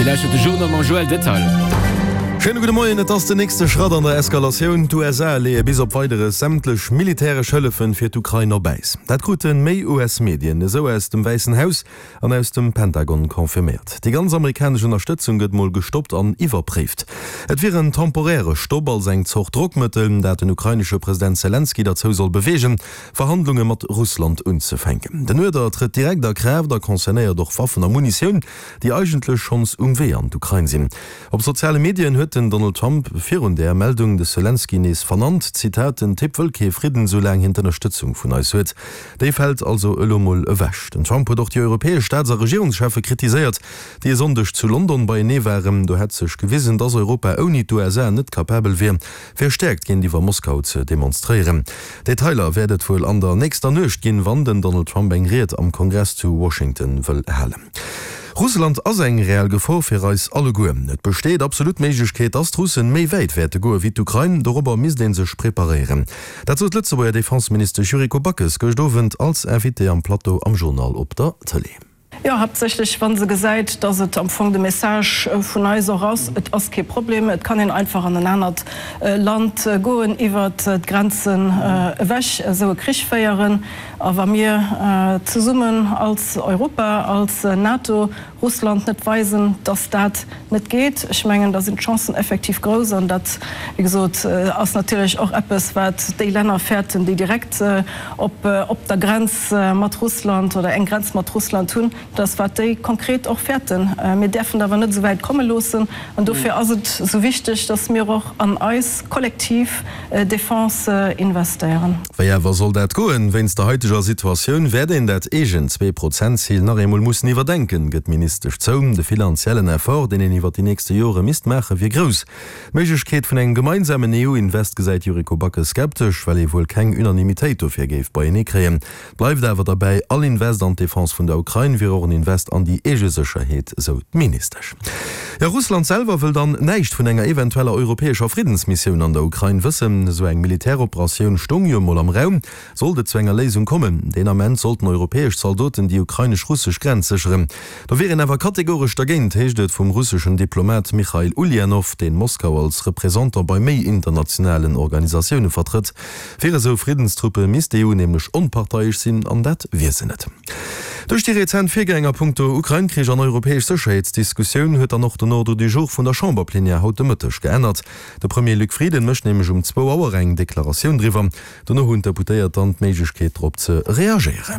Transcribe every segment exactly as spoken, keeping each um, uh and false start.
Dir lauschtert de Journal mam Joël Detail. Schéine gudde Moien, Et ass den nächste Schratt an der Eskalatioun. D'USA leeë bis op Weideres sämtlech militäresch Hëllefen fir d'Ukrain op Äis. Dat krute méi US-Medien esou aus dem Wäissen Haus an aus dem Pentagon confirméiert. Déi ganz amerikanesch Ënnerstëtzung gëtt mol gestoppt an iwwerpréift. Et wier en temporäre Stopp als eng Zort Drockmëttel, dat den ukrainesche President Selenskyj derzou soll beweegen, Verhandlunge mat Russland unzefänken. Den Uerder trëtt direkt a Kraaft a concernéiert och Waffen a Munitioun, déi eigentlech schonns um Wee an d'Ukrain sinn. Op soziale Medien huet den Donald Trump virun där Meldung de Selenskyj nees vernannt, Zitat, Den Typ wëll kee Fridden, soulaang hien d'Ënnerstëtzung vun eis huet. Déi fält also elo mol ewech. Den Trump huet och déi europäesch Staats a Regierungscheffe kritiséiert, déi e Sonndeg zu London beienee waren. Do hätt sech gewisen, dass Europa ouni d'USA net kapabel wier, fir Stäerkt géintiwwer Moskau ze demonstréieren. Detailer wäert et wuel an der nächster Nuecht ginn, wann den Donald Trump eng Ried am Kongress zu Washington wëll halen. Russland ass eng reell Gefor fir eis alleguer. Et besteet absolut d'Méiglechkeet, dass d'Russen méi wäit wäerte goe wéi d'Ukrain. Dorobber misst ee sech preparéieren. Dat sot d'Lëtzebuerger Defenseministesch Yuriko Backes gëscht Owend als Invitée am Plateau am Journal op der Tëlee. Jo, haaptsächlech wa se gesäit, dass et am Fong de Message vun eis och ass, Et ass kee Problem, et kann een einfach an en anert Land goen, iwwert d'Grenzen ewech esou e Krich féieren. A wa mir zesummen als Europa, als NATO Russland net weisen, dass dat net geet, ech mengen, da sinn d'Chancen effektiv grouss. An dat, wéi gesot, ass natierlech och eppes, wat déi Länner fäerten, déi direkt op der Grenz mat Russland oder eng Grenz mat Russland hunn, dass wat déi konkret och fäerten. Mir däerfen et awer net esou wäit komme loossen. An dofir ass et esou wichteg, dass mir och an eis kollektiv Defense investéieren. Wéi awer soll dat goen? Wéinst der haiteger Situatioun wäert een dat eegent Zwee-Prozent-Zil nach eemol mussen iwwerdenken, gëtt d'Ministesch zou. De finanziellen Effort, deen een iwwer déi nächste Jore misst maachen, wier grouss. D'Méiglechkeet vun engem gemeinsamen EU-Invest gesäit d'Yuriko Backes skeptesch, well ee wuel keng Unanimitéit dofir géif beienee kréien. Bleift awer derbäi, all Invest an d'Defense vun der Ukrain wier och en Invest an déi eege Sécherheet, sou d'Ministesch. Jo, Russland selwer wëll dann näischt vun enger eventueller europäescher Friddensmissioun an der Ukrain wëssen. Esou eng Militäroperatioun stoung jo emol am Raum, sollt et zu enger Léisung kommen. Deen Ament sollten europäesch Zaldoten déi ukrainesch-russesch Grenz sécheren. Do wier een awer kategoresch dergéint, heescht et vum russeschen Diplomat Michail Uljanow, deen Moskau als Représentant bei méi internationalen Organisatioune vertrëtt. Fir esou Friddenstruppe misst d'EU nämlech onparteiesch sinn, an dat wier se net. Duerch déi rezent Virgäng a punkto Ukrain-Krich an europäesch Sécherheetsdiskussioun huet dann och den Ordre du jour vun der Chamberplenière haut de Mëtteg geännert. De Premier Luc Frieden mécht nämlech um zwou Auer eng Deklaratioun driwwer. Dono hunn d'Deputéiert dann d'Méiglechkeet drop ze reagéieren.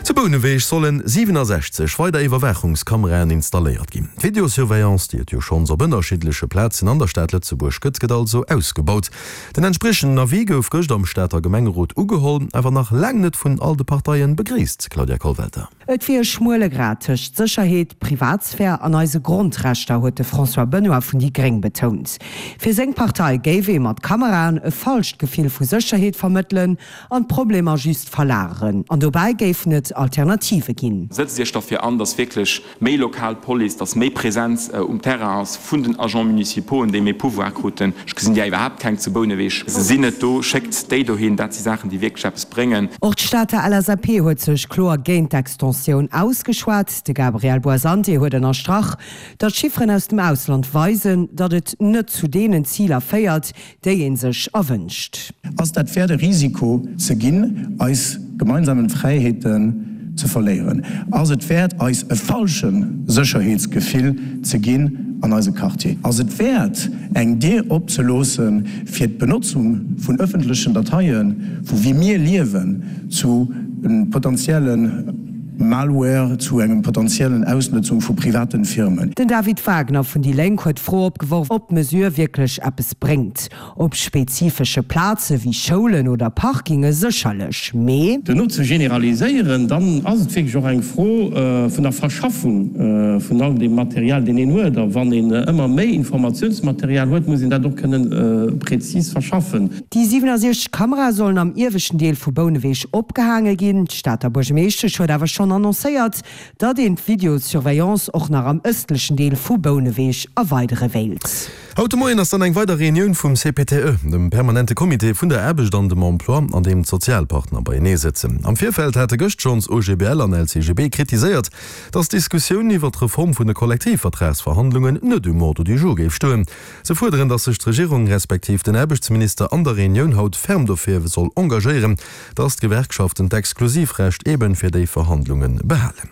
Zu Bouneweg solle siwenasechzeg weider Iwwerwaachungskameraen installéiert ginn. D'Videosurveillance, déi et jo schonns op ënnerschiddleche Plazen an der Stad Lëtzebuerg gëtt, gëtt also ausgebaut. Den entspriechenden Avis gouf gëscht am Stater Gemengerot ugeholl, awer nach laang net vun all de Parteien begréisst, Claudia Kollwelter. Et wier e schmuele Grad tëscht Sécherheet, Privatsphär an eise Grondrechter, huet de François Benoy vun déi Gréng betount. Fir seng Partei géif ee mat Kameraen e falscht Gefill vu Sécherheet vermëttelen an d'Problemer just verlageren. An dobäi géifen et Alternative ginn. Sëtzt Iech derfir an, dass wierklech méi lokal Police, dass méi Präsenz um Terrain ass vun den Agents municipauxen, déi méi Pouvoir kruten. Ech gesinn där iwwerhaapt keng zu Bouneweg. Se sinn net do. Schéckt déi dohin. Dat si Saachen, déi wierklech eppes bréngen. Och d'Stater L S A P huet sech kloer géint d'Extensioun ausgeschwat. De Gabriel Boasanti huet ënnerstrach, datt Chifferen aus dem Ausland weisen, datt et net zu deenen Ziler féiert, déi ee sech erwënscht. Ass dat wäert e Risiko ze ginn, eis gemeinsamen Fräiheeten ze verléieren? Ass et wäert eis e falsche Sécherheetsgefill ze ginn an eise Quartier? Ass et wäert eng Dier opzeloosse fir d'Benotzung vun ëffentlechen Dateien, vu wéi mir liewen, zu potentiellen Malware, zu engem potentiellen Ausnutzung vu privaten Firmen? Den David Wagner vun déi Lénk huet d'Fro opgeworf, ob d'Mesure wierklech eppes bréngt. Op spezifesche Plaze wéi Schoulen oder Parkinge sécherlech, mee. Duerno ze generaliséieren, dann ass et wierklech och eng Fro vun der Verschaffung vun all deem Material, deen een huet. A wann een ëmmer méi Informatiounsmaterial huet, muss een dat och kënnen prezis verschaffen. Déi siwenasiechzeg Kamerae sollen am ieweschten Deel vu Bouneweg opgehaange ginn. D'Stater Buergermeeschtesch huet awer schonn annoncéiert, datt een d'Videosurveillance och nach am ëstlechen Deel vu Bouneweg erweidere wéilt. Haut de Moien ass dann eng weider Reunioun vum C P T E, dem permanente Comité vun der Aarbecht an dem Emploi, an deem d'Sozialpartner beienee sëtzen. Am Virfeld hate gëscht schonns O G B L an L C G B kritiséiert, datt d'Diskussioun iwwer d'Reform vun de Kollektivvertragsverhandlungen net um Ordre du jour géif stoen. Se fuerderen, datt sech d'Regierung respektiv den Aarbechtsminister an der Reunioun haut ferm dofir soll engagéieren, datt d'Gewerkschaften d'Exklusivrecht eben fir déi Verhandlunge behalen.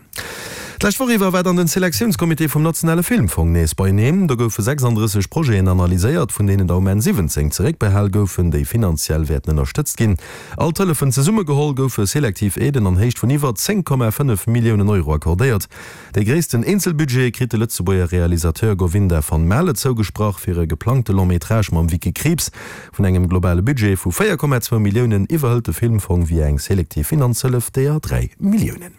D'lescht Woch iwwer war dann den Selektiounscomité vum nationale Filmfong nees beieneen. Do goufe sechsanddrësseg Projeten analyséiert, vun deenen der um Enn siwwenzéng zeréckbehal goufen, déi finanziell wäerten ënnerstëtzt ginn. All d'Hëllefen zesummegeholl goufe selektiv Aiden an Héicht vun iwwer zéng Komma fënnef Milliounen Euro accordéiert. Dee gréissten Eenzelbudget kritt de Lëtzebuerger Realisateur Govinda van Maele zougesprach fir e geplangte Long-métrage mam Vicky Krieps. Vun engem globale Budget vu véier Komma zwou Milliounen iwwerhëlt de Filmfong via eng selektiv Finanzhëllef deeër dräi Milliounen.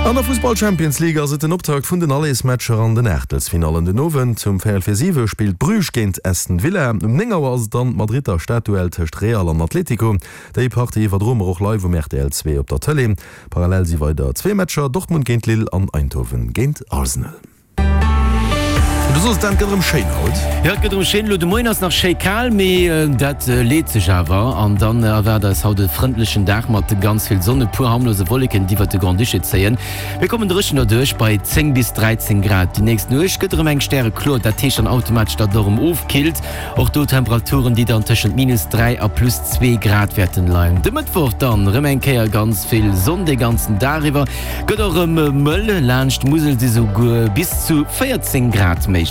An der Fussball Champions League ass et den Optakt vun den Allersmatcher an den Aachtelsfinallen. Den Owend um véierel vir siwe spillt Bruges géint Aston Villa. Um néng Auer ass et dann d'Madridder Stadduell tëscht Real an Atlético. Déi Partie iwwerdroe mer och live um R T L zwee op der Tëlee. Parallel si weider zwee Matcher, Dortmund géint Lille an Eindhoven géint Arsenal. Du soss dan, et gëtt erëm schéin haut. Jo, et gëtt erëm schéin. Elo de Moien ass nach schéi kal, mee dat leet sech awer an dann erwaart eis haut e frëndlechen Dag mat ganz vill Sonn, e puer harmlose Wolleken, déi iwwert de Grand-Duché zéien. Mir kommen dréchen derduerch bei zéng bis dräizéng Grad. Déi nächst Nuecht gëtt erëm enk stärekloer, dat heescht dann automatesch, datt et och erëm ofkillt. Och do Temperaturen, déi dann tëschent minus dräi a plus zwee Grad wäerten leien. De Mëttwoch dann erëm eng Kéier ganz vill Sonn de ganzen Dag iwwer, gëtt och erëm mëll, laanscht d'Musel si souguer bis zu véierzéng Grad méiglech.